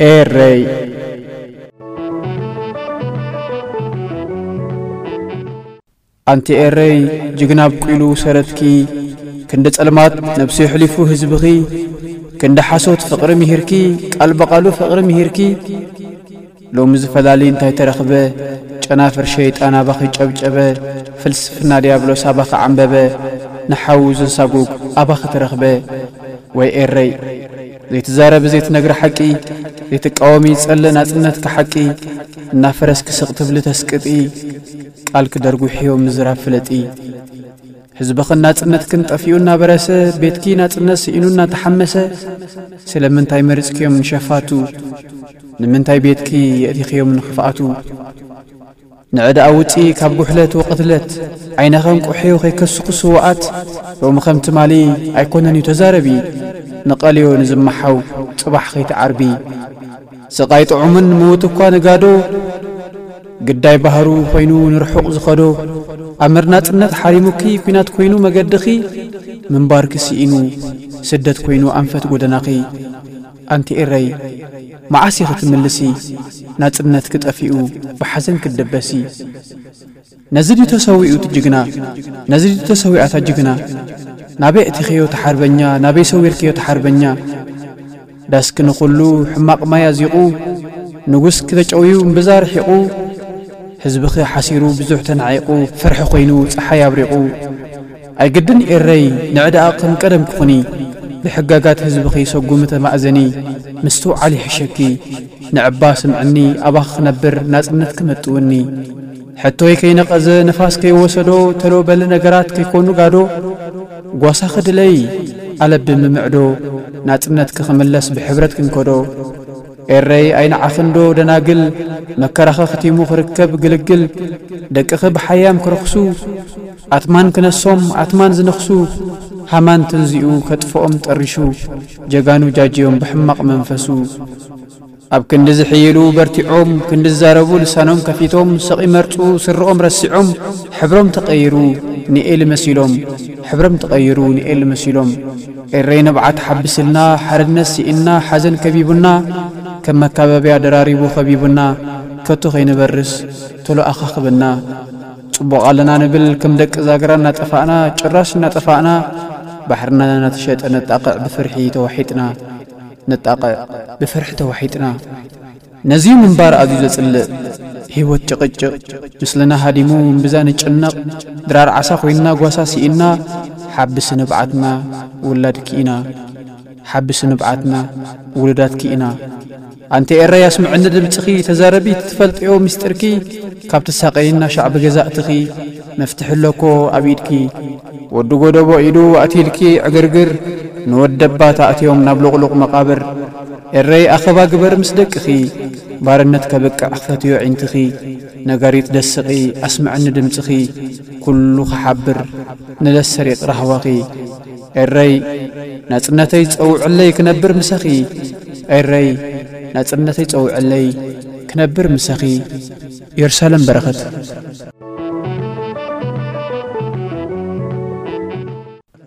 ኤረይ። ኣንቲ ኤረይ፣ ጅግና ኣብቁሉ ሰረትኪ፣ ክንዲ ጸልማት ነብሱ የሕሊፉ ህዝብኺ፣ ክንዲ ሓሶት ፍቕሪ ምሂርኪ፣ ቃል ብቓሉ ፍቕሪ ምሂርኪ። ሎሚ ዝፈላሊ እንታይ ተረኽበ? ጨናፍር ሸይጣን ኣባኺ ጨብጨበ፣ ፍልስፍና ዲያብሎስ ኣባኺ ዓንበበ፣ ንሓዉ ዘሳጉግ ኣባኺ ተረኽበ። ወይ ኤረይ፣ ዘይትዛረብ ዘይትነግር ሓቂ፣ ዘይትቃወሚ ጸለ ናጽነትኪ ሓቂ፣ እናፈረስኪ ስቕ ትብሊ ተስቅጢ፣ ቃልኪ ደርጒሕዮ ምዝራብ ፍለጢ። ህዝብኽን ናጽነትክን ጠፊኡ እናበረሰ፣ ቤትኪ ናጽነት ስኢኑ እናተሓመሰ፣ ስለምንታይ መሪጽክዮም ንሸፋቱ? ንምንታይ ቤትኪ የእቲኽዮም ንኽፍኣቱ? ንዕዳኣ ውጺ ካብ ጉሕለት ወቕትለት፣ ዓይንኸን ቁሕዮ ከይከስኹ ስውኣት፣ ሎሚ ከም ትማሊ ኣይኮነን እዩ ተዛረቢ፣ ንቐልዮ ንዝመሓው ጽባሕ ከይትዓርቢ። ስቓይ ጥዑምን ምዉት እኳ ንጋዶ፣ ግዳይ ባህሩ ኮይኑ ንርሑቕ ዝኸዶ፣ ኣምር ናጽነት ሓሪሙኪ ኲናት ኮይኑ መገድኺ፣ ምንባርኪ ስኢኑ ስደት ኮይኑ ኣንፈት ጎደናኺ። ኣንቲ ኤረይ፣ መዓስ ኢኺ ትምልሲ? ናጽነትኪ ጠፊኡ ብሓዘን ክትደበሲ። ነዚ ድዩ ተሰዊኡ እቲ ጅግና? ነዚ ድዩ ተሰዊኣ እታ ጅግና? ናበይ ኣእቲኽዮ እቲ ሓርበኛ? ናበይ ሰዊርክዮ እቲ ሓርበኛ? ዳስኪ ንኹሉ ሕማቕ ማይ ኣዚቑ፣ ንጉስኪ ተጨውዩ እምብዛ ርሒቑ፣ ህዝብኺ ሓሲሩ ብዙሕ ተናዒቑ፣ ፍርሒ ኮይኑ ጸሓይ ኣብሪቑ። ኣይግድን ኤረይ ንዕዳኣ ከም ቀደም ክኹኒ፣ ብሕጋጋት ህዝብኺ ሰጉሚ ተማእዘኒ፣ ምስትውዓል ይሕሸኪ። ንዕባ ስምዕኒ፣ ኣባኺ ክነብር ናጽነት ክመጥውኒ። ሕቶይ ከይነቐዘ ንፋስ ከይወሰዶ፣ ተሎ በሊ ነገራት ከይኮኑ ጋዶ። ጓሳኺ ድለይ ኣለቢ ምምዕዶ፣ ናጽነትኪ ክምለስ ብሕብረት ክንከዶ። ኤረይ ኣይንዓኽንዶ ደናግል፣ መከራኺ ክቲሙ ክርከብ ግልግል። ደቅኺ ብሓያም ክረኽሱ፣ ኣትማን ክነሶም ኣትማን ዝነኽሱ። ሃማን ትንዚኡ ከጥፍኦም ጠሪሹ፣ ጀጋኑ ጃጅዮም ብሕማቕ መንፈሱ። ኣብ ክንዲ ዝሕይሉ በርቲዖም፣ ክንዲ ዝዛረቡ ልሳኖም ከፊቶም፣ ስቕ ይመርጹ ስርኦም ረሲዖም፣ ሕብሮም ተቐይሩ ንኤሊ መሲሎም፣ ሕብሮም ተቐይሩ ንኤሊ መሲሎም። ኤረይ ንብዓት ሓብስልና፣ ሓርነት ስኢንና፣ ሓዘን ከቢቡና፣ ከም መካበብያ ደራሪቡ ከቢቡና፣ ከቶ ከይንበርስ ቶሎ ኣኻኽበና። ጽቡቕ ኣለና ንብል ከም ደቂ ዛግራ እናጠፋእና፣ ጭራሽ እናጠፋእና፣ ባሕርና እናተሸጠ ነጣቕዕ ብፍርሒ ተዋሒጥና። ነጣቕዕ ብፍርሒ ተዋሒጥና። ነዚ ምንባር ኣዝዩ ዘጽልእ፣ ህይወት ጭቕጭቕ፣ ምስልና ሃዲሙ እምብዛ ንጭነቕ፣ ድራር ዓሳ ኮይንና ጓሳ ስኢንና፣ ሓብሲ ንብዓትና ውላድኪ ኢና፣ ሓብሲ ንብዓትና ውሉዳትኪ ኢና። ኣንቲ ኤረይ ኣስምዕኒ ድምጽኺ፣ ተዛረቢ ትፈልጥዮ ምስጢርኪ፣ ካብ ትሳቐይና ሻዕቢ ገዛእትኺ፣ መፍትሒ ኣለኮ ኣብ ኢድኪ። ወዲ ጎደቦ ኢዱ ኣትይልኪ ዕግርግር፣ ንወደባ ተኣትዮም ናብ ሉቕሉቕ መቓብር። ኤረይ ኣኸባ ግበር ምስ ደቅኺ፣ ባርነት ከብቅዕ ክፈትዮ ዒንትኺ። ነጋሪት ደስቒ ኣስምዕኒ ድምጽኺ፣ ኩሉ ክሓብር ንለሰሪቕ ራህዋኺ። ኤረይ ናጽነተይ ጸውዕለይ ክነብር ምሳኺ። ኤረይ ናጽነተይ ጸውዕለይ ክነብር ምሳኺ። የሩሳሌም በረኸት።